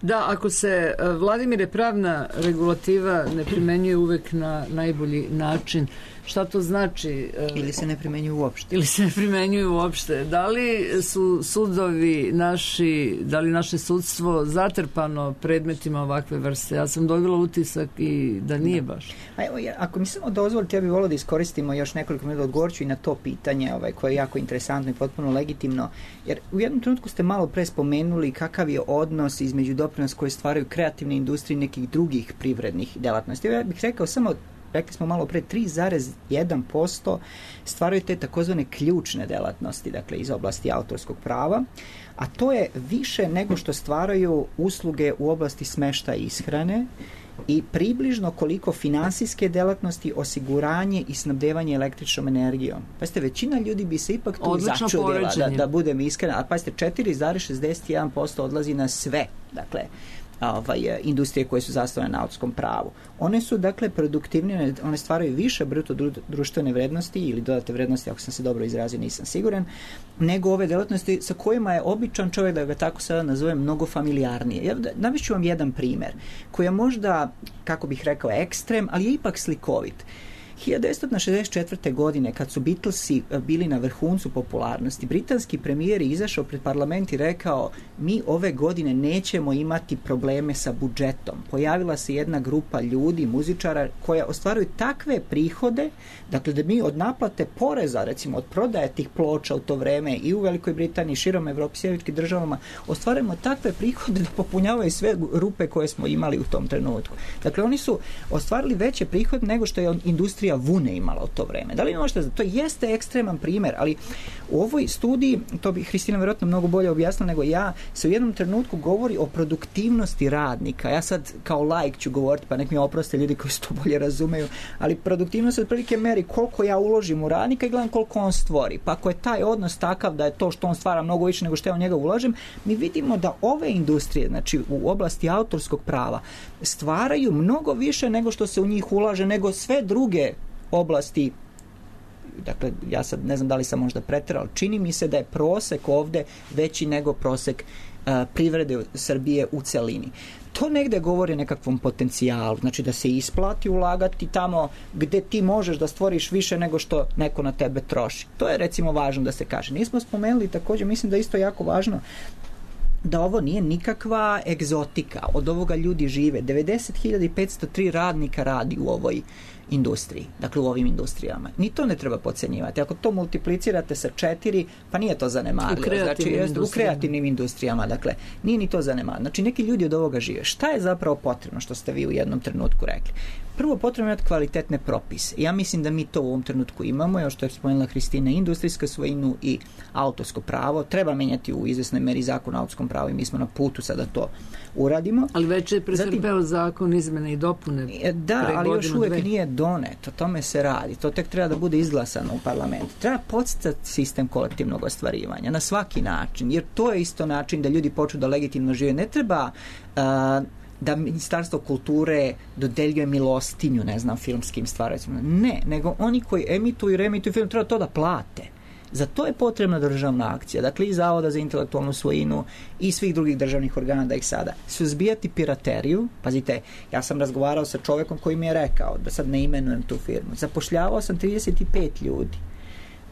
Da, ako se, Vladimire, pravna regulativa ne primenjuje uvek na najbolji način, šta to znači? Ili se ne primenjuje uopšte. Ili se ne primenjuje uopšte. Da li su sudovi naši, da li naše sudstvo zatrpano predmetima ovakve vrste? Ja sam dobila utisak i da nije baš. A evo, ako mi samo dozvolite, ja bih volio da iskoristimo još nekoliko minuta, odgovorću i na to pitanje ovaj, koje je jako interesantno i potpuno legitimno, jer u jednom trenutku ste malo pre spomenuli kakav je odnos između doprinosa koje stvaraju kreativne industrije i nekih drugih privrednih delatnosti. Ja bih rekao samo, rekli smo malo pre, tri zarez jedan posto stvaraju te takozvane ključne delatnosti, dakle iz oblasti autorskog prava, a to je više nego što stvaraju usluge u oblasti smeštaja i ishrane i približno koliko finansijske delatnosti, osiguranje i snabdevanje električnom energijom. Pazite, većina ljudi bi se ipak tu odlično začudila, da, da budem iskrena, a pazite, četiri zarez šezdeset jedan posto odlazi na sve, dakle, ovaj, industrije koje su zasnovane na autorskom pravu. One su, dakle, produktivnije, one stvaraju više bruto društvene vrednosti ili dodate vrednosti, ako sam se dobro izrazio, nisam siguran, nego ove delatnosti sa kojima je običan čovjek, da ga tako sada nazovem, mnogo familijarnije. Ja navišću vam jedan primer, koji je možda, kako bih rekao, ekstrem, ali je ipak slikovit. hiljadu devetsto šezdeset četvrte. godine, kad su Beatlesi bili na vrhuncu popularnosti, britanski premijer je izašao pred parlament i rekao: mi ove godine nećemo imati probleme sa budžetom. Pojavila se jedna grupa ljudi, muzičara, koja ostvaruju takve prihode, dakle da mi od naplate poreza, recimo od prodaje tih ploča u to vreme i u Velikoj Britaniji, širom Evropi, sjeveričkim državama, ostvarujemo takve prihode da popunjavaju sve rupe koje smo imali u tom trenutku. Dakle, oni su ostvarili veće prihode nego što je industrija industrija vune imala u to vreme. Da li možete, to jeste ekstreman primjer, ali u ovoj studiji, to bi Hristina vjerojatno mnogo bolje objasnila nego ja, se u jednom trenutku govori o produktivnosti radnika. Ja sad kao laik ću govoriti, pa nek mi oproste ljudi koji se to bolje razumeju, ali produktivnost od prilike meri koliko ja uložim u radnika i gledam koliko on stvori. Pa ako je taj odnos takav da je to što on stvara mnogo više nego što ja u njega ulažem, mi vidimo da ove industrije, znači u oblasti autorskog prava, stvaraju mnogo više nego što se u njih ulaže, nego sve druge oblasti. Dakle, ja sad ne znam da li sam možda preterao, čini mi se da je prosek ovde veći nego prosek uh, privrede Srbije u celini. To negde govori o nekakvom potencijalu, znači da se isplati ulagati tamo gde ti možeš da stvoriš više nego što neko na tebe troši. To je recimo važno da se kaže. Nismo spomenuli također, mislim da je isto jako važno da ovo nije nikakva egzotika, od ovoga ljudi žive. devedeset hiljada petsto tri radnika radi u ovoj industriji, dakle u ovim industrijama. Ni to ne treba podcenjivati. Ako to multiplicirate sa četiri, pa nije to zanemarljivo. U kreativnim, znači, u kreativnim industrijama, dakle, nije ni to zanemarljivo. Znači, neki ljudi od ovoga žive. Šta je zapravo potrebno, što ste vi u jednom trenutku rekli? Prvo, potrebno je kvalitetne propise. Ja mislim da mi to u ovom trenutku imamo, još što je spomenula Hristina, industrijsku svojinu i autorsko pravo. Treba menjati u izvesnoj meri zakon o autorskom pravu i mi smo na putu sada to uradimo. Ali već je pretrpeo zakon izmene i dopune. Da, ali još uvek dve. Nije donet. O tome se radi. To tek treba da bude izglasano u parlamentu. Treba podsticati sistem kolektivnog ostvarivanja na svaki način, jer to je isto način da ljudi počnu da legitimno žive. Ne treba uh, da Ministarstvo kulture dodeljuje milostinju, ne znam, filmskim stvaracima. Ne, nego oni koji emituju i reemituju film treba to da plate. Za to je potrebna državna akcija, dakle i Zavoda za intelektualnu svojinu i svih drugih državnih organa da ih sada suzbijati pirateriju. Pazite, ja sam razgovarao sa čovekom koji mi je rekao, da sad ne imenujem tu firmu, zapošljavao sam trideset pet ljudi.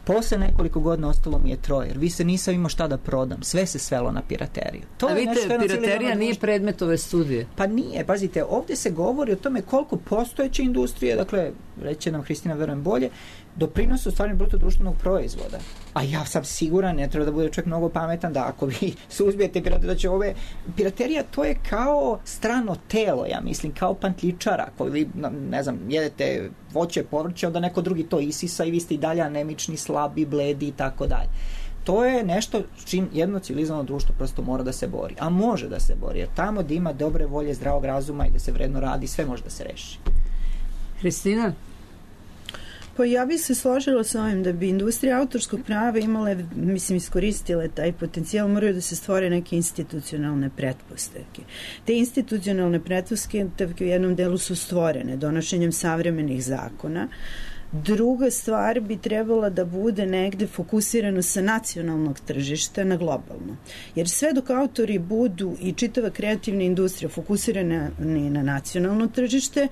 Posle nekoliko godina ostalo mi je troje, jer vi se nisam imao šta da prodam. Sve se svelo na pirateriju. To A vidite, piraterija nije predmet ove studije. Pa nije, pazite, ovdje se govori o tome koliko postojeće industrije, dakle, reće nam Hristina, verujem bolje, doprinose u stvarnju bruto društvenog proizvoda. A ja sam siguran, ne treba da bude čovjek mnogo pametan, da ako vi suzbijete pirateriju, da će ove... Piraterija, to je kao strano telo, ja mislim, kao pantljičara, koji vi, ne znam, jedete voće, povrće, onda neko drugi to isisa i vi ste i dalje anemični, slabi, bledi i tako dalje. To je nešto čim jedno civilizovano društvo prosto mora da se bori. A može da se bori, jer tamo da ima dobre volje, zdravog razuma i da se vredno radi, sve može da se reši. Hristina? Pa ja bih se složila sa ovim da bi industrija autorskog prava imale, mislim, iskoristile taj potencijal, moraju da se stvore neke institucionalne pretpostavke. Te institucionalne pretpostavke u jednom delu su stvorene donošenjem savremenih zakona. Druga stvar bi trebala da bude negde fokusirano sa nacionalnog tržišta na globalno. Jer sve dok autori budu i čitava kreativna industrija fokusirana na nacionalno tržište,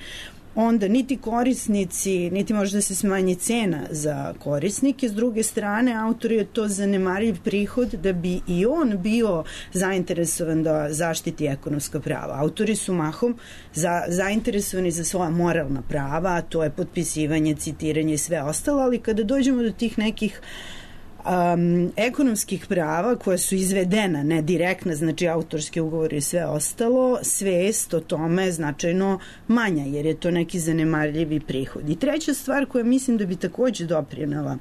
onda niti korisnici, niti može da se smanji cena za korisnike. S druge strane, autor je to zanemarljiv prihod da bi i on bio zainteresovan da zaštiti ekonomska prava. Autori su mahom za, zainteresovani za svoja moralna prava, a to je potpisivanje, citiranje i sve ostalo, ali kada dođemo do tih nekih Um, ekonomskih prava koja su izvedena, ne direktna, znači autorski ugovor i sve ostalo, svest o tome je značajno manja, jer je to neki zanemarljivi prihod. I treća stvar koja mislim da bi takođe doprinela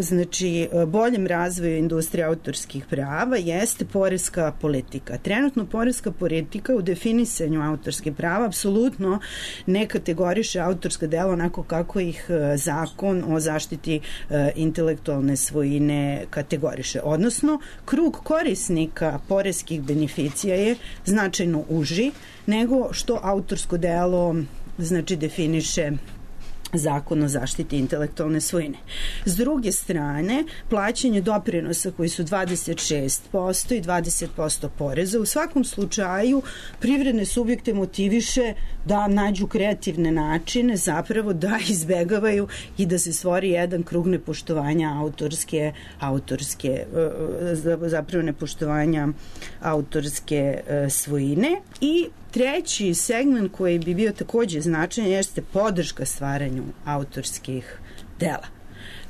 znači boljem razvoju industrije autorskih prava jeste poreska politika. Trenutno poreska politika u definisanju autorskih prava apsolutno ne kategoriše autorska dela onako kako ih zakon o zaštiti e, intelektualne svojine kategoriše. Odnosno, krug korisnika poreskih beneficija je značajno uži nego što autorsko delo znači definiše Zakon o zaštiti intelektualne svojine. S druge strane, plaćanje doprinosa koji su dvadeset šest posto i dvadeset posto poreza u svakom slučaju privredne subjekte motiviše da nađu kreativne načine zapravo da izbegavaju i da se stvori jedan krug nepoštovanja autorske, autorske zapravo nepoštovanja autorske svojine. I treći segment koji bi bio takođe značajan jeste podrška stvaranju autorskih dela.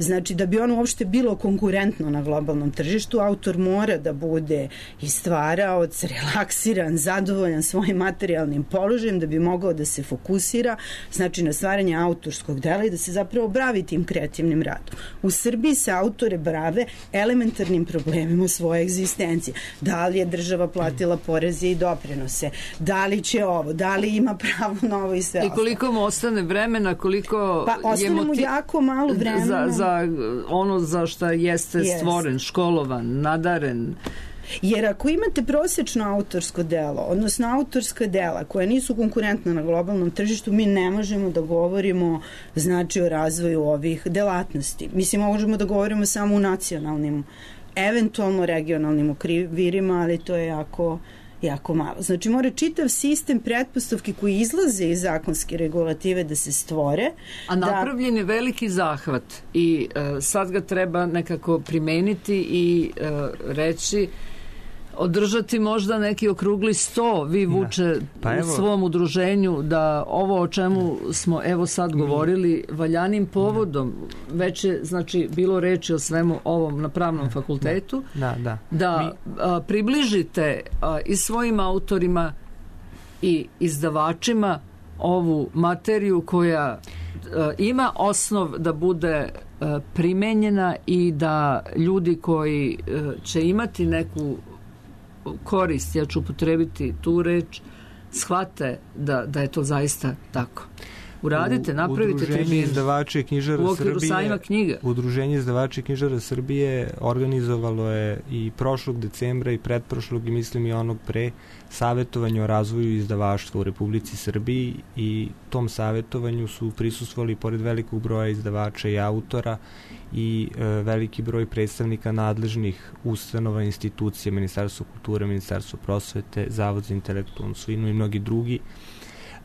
Znači, da bi ono uopšte bilo konkurentno na globalnom tržištu, autor mora da bude i stvaraoc, relaksiran, zadovoljan svojim materijalnim položajem, da bi mogao da se fokusira, znači, na stvaranje autorskog dela i da se zapravo bavi tim kreativnim radom. U Srbiji se autore brave elementarnim problemima svoje egzistencije. Da li je država platila poreze i doprinose? Da li će ovo? Da li ima pravo na ovo i sve ostalo? I koliko mu ostane vremena, koliko pa, ostane je motiv... mu jako malo vremena. Za, za ono za što jeste yes. stvoren, školovan, nadaren. Jer ako imate prosečno autorsko delo, odnosno autorska dela koja nisu konkurentna na globalnom tržištu, mi ne možemo da govorimo znači o razvoju ovih delatnosti. Mislim, možemo da govorimo samo u nacionalnim, eventualno regionalnim okvirima, ali to je jako jako malo. Znači, mora čitav sistem pretpostavki koji izlaze iz zakonske regulative da se stvore. A napravljen je veliki zahvat i uh, sad ga treba nekako primeniti i uh, reći, održati možda neki okrugli sto, vi Vuče pa u svom udruženju, da ovo o čemu smo evo sad govorili valjanim povodom, već je znači bilo reči o svemu ovom na pravnom fakultetu, da, da. da a, približite a, i svojim autorima i izdavačima ovu materiju koja a, ima osnov da bude a, primenjena i da ljudi koji a, će imati neku korist, ja ću upotrebiti tu reč, shvate da, da je to zaista tako. Uradite, napravite Udruženje izdavača i knjižara u okviru Srbije, sajma knjiga. Udruženje izdavača i knjižara Srbije organizovalo je i prošlog decembra i pretprošlog i mislim i onog pre savjetovanje o razvoju izdavaštva u Republici Srbiji i tom savjetovanju su prisustvovali pored velikog broja izdavača i autora i e, veliki broj predstavnika nadležnih ustanova, institucija, Ministarstvo kulture, Ministarstvo prosvete, Zavod za intelektualnu svojinu i mnogi drugi.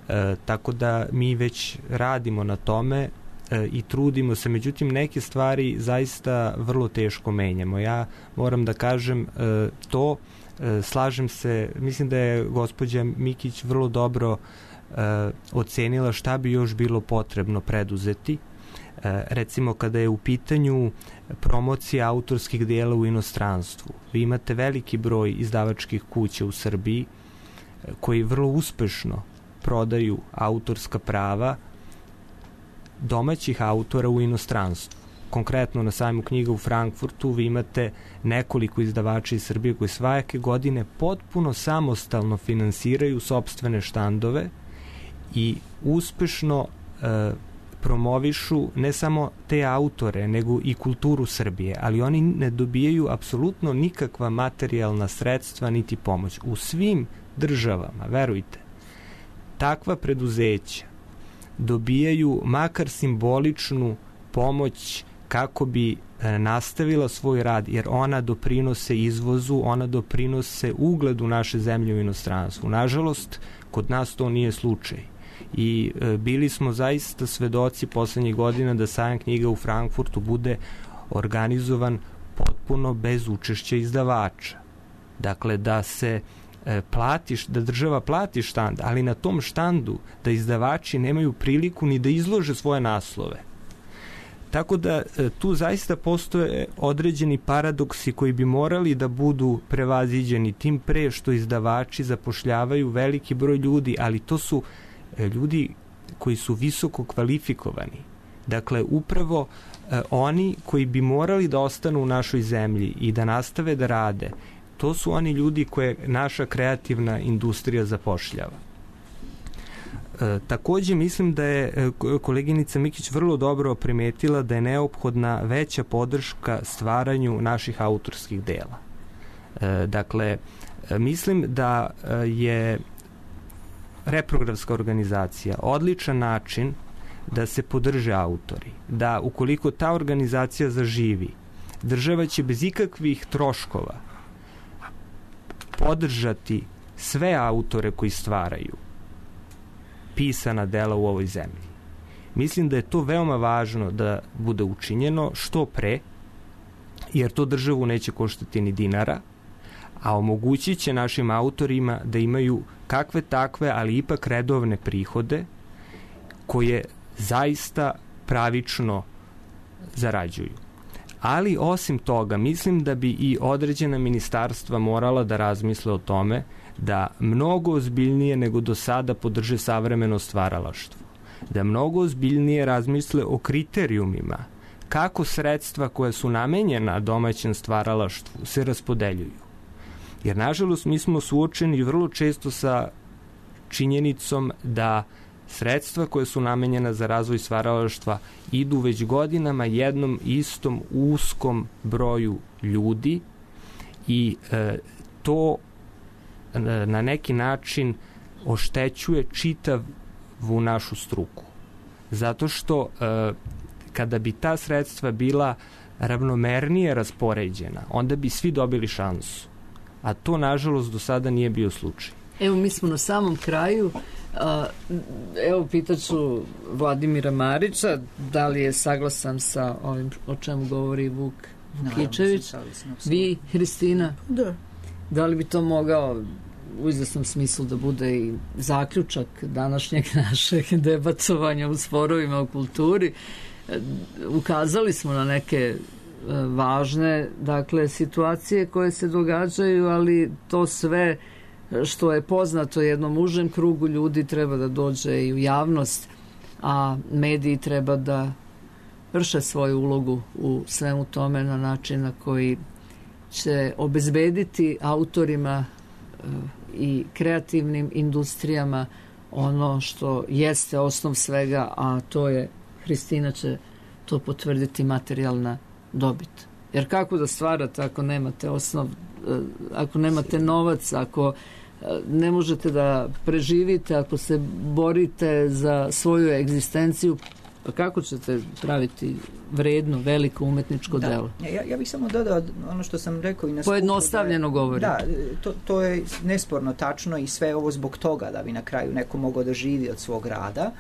E, tako da mi već radimo na tome e, i trudimo se, međutim neke stvari zaista vrlo teško menjamo. Ja moram da kažem e, to, e, slažem se, mislim da je gospođa Mikić vrlo dobro e, ocenila šta bi još bilo potrebno preduzeti. E, recimo kada je u pitanju promocija autorskih dela u inostranstvu. Vi imate veliki broj izdavačkih kuća u Srbiji e, koji vrlo uspešno prodaju autorska prava domaćih autora u inostranstvu. Konkretno na sajmu knjiga u Frankfurtu vi imate nekoliko izdavača iz Srbije koji svake godine potpuno samostalno finansiraju sopstvene štandove i uspešno e, promovišu ne samo te autore, nego i kulturu Srbije, ali oni ne dobijaju apsolutno nikakva materijalna sredstva niti pomoć. U svim državama, verujte, takva preduzeća dobijaju makar simboličnu pomoć kako bi e, nastavila svoj rad, jer ona doprinose izvozu, ona doprinose ugledu naše zemlje u inostranstvu. Nažalost, kod nas to nije slučaj. I e, bili smo zaista svedoci poslednjih godina da sajam knjiga u Frankfurtu bude organizovan potpuno bez učešća izdavača. Dakle, da se platiš, da država plati štand, ali na tom štandu da izdavači nemaju priliku ni da izlože svoje naslove. Tako da tu zaista postoje određeni paradoksi koji bi morali da budu prevaziđeni, tim pre što izdavači zapošljavaju veliki broj ljudi, ali to su ljudi koji su visoko kvalifikovani. Dakle, upravo eh, oni koji bi morali da ostanu u našoj zemlji i da nastave da rade, to su oni ljudi koje naša kreativna industrija zapošljava. E, takođe mislim da je koleginica Mikić vrlo dobro primetila da je neophodna veća podrška stvaranju naših autorskih dela. E, dakle, mislim da je reprogramska organizacija odličan način da se podrže autori. Da ukoliko ta organizacija zaživi, država će bez ikakvih troškova podržati sve autore koji stvaraju pisana dela u ovoj zemlji. Mislim da je to veoma važno da bude učinjeno što pre, jer to državu neće koštati ni dinara, a omogućit će našim autorima da imaju kakve takve, ali ipak redovne prihode koje zaista pravično zarađuju. Ali osim toga, mislim da bi i određena ministarstva morala da razmisle o tome da mnogo ozbiljnije nego do sada podrže savremeno stvaralaštvo. Da mnogo ozbiljnije razmisle o kriterijumima kako sredstva koja su namenjena domaćem stvaralaštvu se raspodeljuju. Jer, nažalost, mi smo suočeni vrlo često sa činjenicom da sredstva koje su namenjena za razvoj stvaralaštva idu već godinama jednom istom uskom broju ljudi i e, to e, na neki način oštećuje čitavu našu struku. Zato što e, kada bi ta sredstva bila ravnomernije raspoređena, onda bi svi dobili šansu. A to, nažalost, do sada nije bio slučaj. Evo, mi smo na samom kraju. Evo, pitaću Vladimira Marića da li je saglasan sa ovim o čemu govori Vuk Vukičević. Vi, Hristina? Da. Da li bi to mogao u izvesnom smislu da bude i zaključak današnjeg našeg debatovanja u sporovima u kulturi? Ukazali smo na neke važne, dakle, situacije koje se događaju, ali to sve što je poznato jednom užem krugu ljudi treba da dođe i u javnost, a mediji treba da vrše svoju ulogu u svemu tome na način na koji će obezbediti autorima i kreativnim industrijama ono što jeste osnov svega, a to je, Hristina će to potvrditi, materijalna dobit. Jer kako da stvarate ako nemate osnov, ako nemate novac, ako ne možete da preživite, ako se borite za svoju egzistenciju, pa kako ćete praviti vredno, veliko umetničko da. delo? Ja, ja bih samo dodao ono što sam rekao i na skupu. Pojednostavljeno govori. Da, to, to je nesporno tačno i sve ovo zbog toga da bi na kraju neko mogao da živi od svog rada.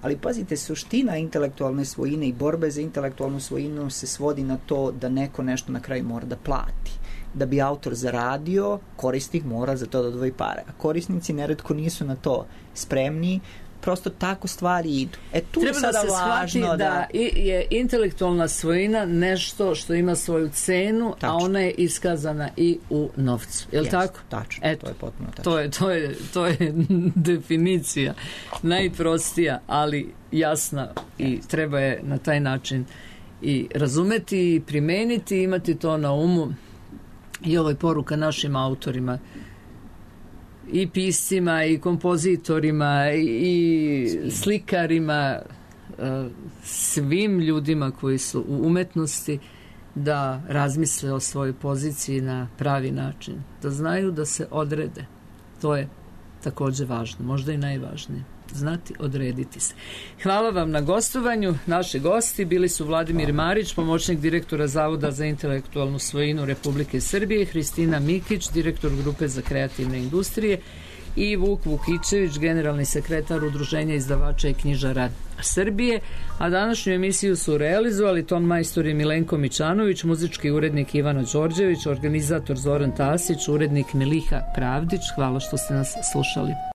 Ali pazite, suština intelektualne svojine i borbe za intelektualnu svojinu se svodi na to da neko nešto na kraju mora da plati. Da bi autor zaradio, korisnik mora za to da odvoji pare. A korisnici neretko nisu na to spremni, prosto tako stvari idu. E, tu treba je sada da se shvati da, da je intelektualna svojina nešto što ima svoju cenu, tačno, a ona je iskazana i u novcu. Je li yes, tako? Tačno, eto, to je potpuno tačno. To je, to je, to je definicija najprostija, ali jasna i treba je na taj način i razumeti i primeniti i imati to na umu. I ovo je poruka našim autorima, i piscima, i kompozitorima, i slikarima, svim ljudima koji su u umetnosti, da razmisle o svojoj poziciji na pravi način, da znaju da se odrede. To je takođe važno, možda i najvažnije. Znati odrediti se. Hvala vam na gostovanju. Naši gosti bili su Vladimir Marić, pomoćnik direktora Zavoda za intelektualnu svojinu Republike Srbije, Hristina Mikić, direktor Grupe za kreativne industrije, i Vuk Vukičević, generalni sekretar Udruženja izdavača i knjižara Srbije. A današnju emisiju su realizovali ton majstor je Milenko Mićanović, muzički urednik Ivana Đorđević, organizator Zoran Tasić, urednik Miliha Pravdić. Hvala što ste nas slušali.